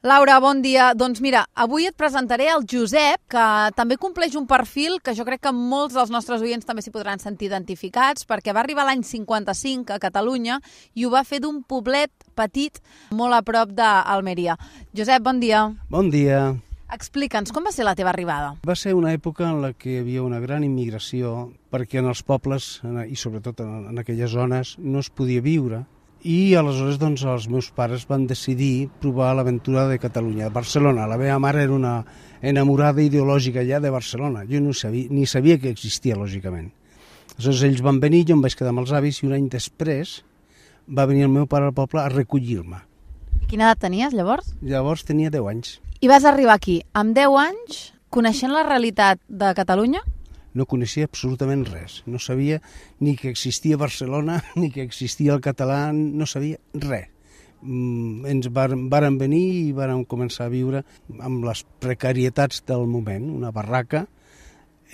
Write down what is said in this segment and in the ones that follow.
Laura, bon dia. Doncs mira, avui et presentaré el Josep, que també compleix un perfil que jo crec que molts dels nostres oients també s'hi podran sentir identificats, perquè va arribar l'any 55 a Catalunya i ho va fer d'un poblet petit molt a prop d'Almeria. Josep, bon dia. Bon dia. Explica'ns, com va ser la teva arribada? Va ser una època en la que hi havia una gran immigració, perquè en els pobles, i sobretot en aquelles zones, no es podia viure. I aleshores doncs, els meus pares van decidir provar l'aventura de Catalunya, de Barcelona. La meva mare era una enamorada ideològica ja de Barcelona. Jo ni sabia que existia, lògicament. Aleshores ells van venir, jo em vaig quedar amb els avis i un any després va venir el meu pare al poble a recollir-me. I quina edat tenies, llavors? Llavors tenia 10 anys. I vas arribar aquí amb 10 anys, coneixent la realitat de Catalunya? No coneixia absolutament res. No sabia ni que existia Barcelona, ni que existia el català, no sabia res. Ens vàrem venir i vàrem començar a viure amb les precarietats del moment, una barraca,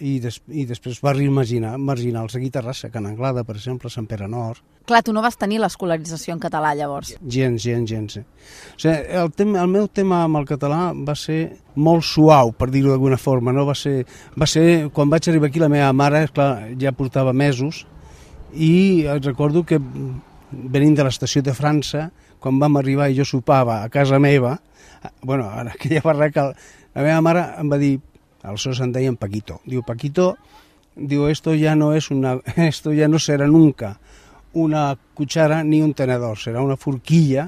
i després barris marginals aquí a Terrassa, Can Anglada, per exemple, Sant Pere Nord. Clar, tu no vas tenir l'escolarització en català, llavors. Gens. O sigui, el meu tema amb el català va ser molt suau, per dir-ho d'alguna forma. No? Va ser, quan vaig arribar aquí, la meva mare, clar, ja portava mesos, i recordo que venint de l'estació de França, quan vam arribar i jo sopava a casa meva, bueno, en aquella barraca, la meva mare em va dir, aleshores em deien Paquito. Diu, Paquito, esto ya no será nunca una cuchara ni un tenedor, serà una forquilla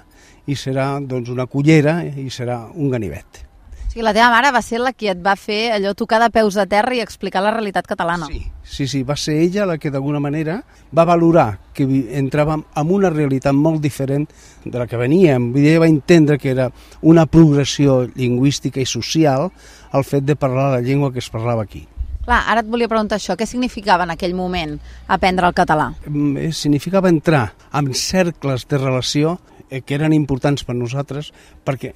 i serà doncs, una cullera i serà un ganivet. O sigui, la teva mare va ser la que et va fer allò tocar de peus a terra i explicar la realitat catalana. Sí, va ser ella la que d'alguna manera va valorar que entràvem en una realitat molt diferent de la que veníem. Vull dir, ella va entendre que era una progressió lingüística i social el fet de parlar la llengua que es parlava aquí. Clar, ara et volia preguntar això, què significava en aquell moment aprendre el català? Significava entrar en cercles de relació que eren importants per nosaltres perquè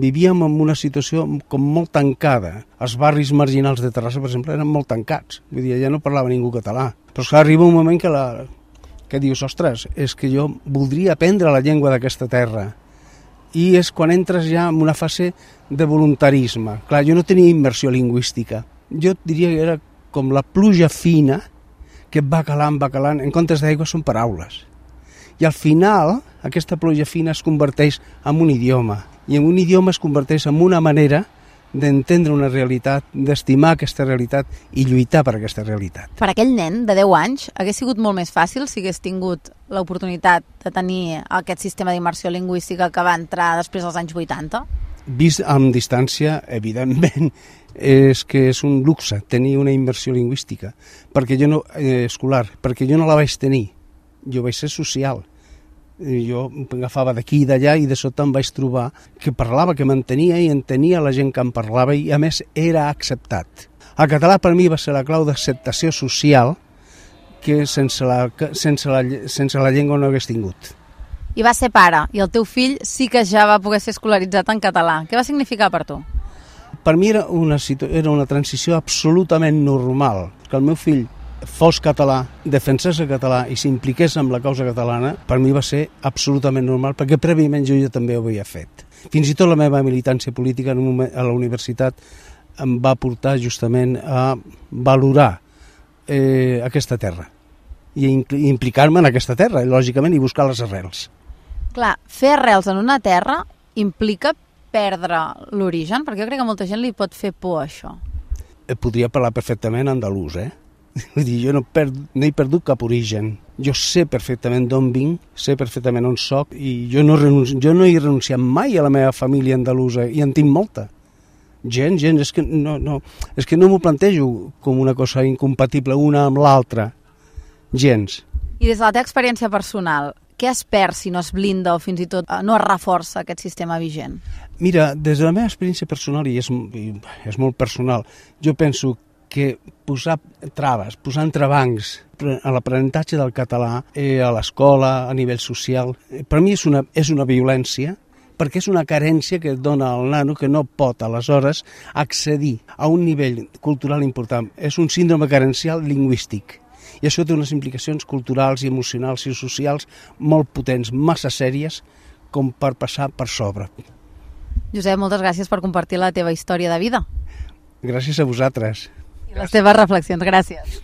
vivíem en una situació com molt tancada. Els barris marginals de Terrassa, per exemple, eren molt tancats. Vull dir, ja no parlava ningú català. Però esclar, arriba un moment que dius, ostres, és que jo voldria aprendre la llengua d'aquesta terra. I és quan entres ja en una fase de voluntarisme. Clar, jo no tenia immersió lingüística. Jo diria que era com la pluja fina que va calant, en comptes d'aigua són paraules. I al final, aquesta pluja fina es converteix en un idioma. I en un idioma es converteix en una manera d'entendre una realitat, d'estimar aquesta realitat i lluitar per aquesta realitat. Per aquell nen de 10 anys hagués sigut molt més fàcil si hagués tingut l'oportunitat de tenir aquest sistema d'immersió lingüística que va entrar després dels anys 80? Vist amb distància, evidentment, és que és un luxe tenir una immersió lingüística escolar, perquè jo no la vaig tenir. Jo vaig ser social. Jo agafava d'aquí i d'allà i de sota em vaig trobar que parlava, que m'entenia i entenia la gent que em parlava i a més era acceptat. El català per mi va ser la clau d'acceptació social que sense la llengua no hagués tingut. I va ser pare, i el teu fill sí que ja va poder ser escolaritzat en català. Què va significar per tu? Per mi era una transició absolutament normal. Que el meu fill fos català, defensés el català i s'impliqués amb la causa catalana, per mi va ser absolutament normal, perquè prèviament jo ja també ho havia fet. Fins i tot la meva militància política a la universitat em va portar justament a valorar aquesta terra i implicar-me en aquesta terra, lògicament, i buscar les arrels. Clar, fer arrels en una terra implica perdre l'origen, perquè jo crec que a molta gent li pot fer por això. Podria parlar perfectament andalús, Vull dir, jo no he perdut cap origen. Jo sé perfectament d'on vinc, sé perfectament on soc i jo no he renunciat mai a la meva família andalusa i en tinc molta. Gens, és que no m'ho plantejo com una cosa incompatible una amb l'altra. Gens. I des de la teva experiència personal, què es perd si no es blinda o fins i tot no es reforça aquest sistema vigent? Mira, des de la meva experiència personal, i és molt personal, jo penso que posar traves, posar entrebancs a l'aprenentatge del català a l'escola, a nivell social, per mi és una violència, perquè és una carència que et dona al nano que no pot, aleshores, accedir a un nivell cultural important. És un síndrome carencial lingüístic. I això té unes implicacions culturals i emocionals i socials molt potents, massa sèries, com per passar per sobre. Josep, moltes gràcies per compartir la teva història de vida. Gràcies a vosaltres. I les teves reflexions. Gràcies.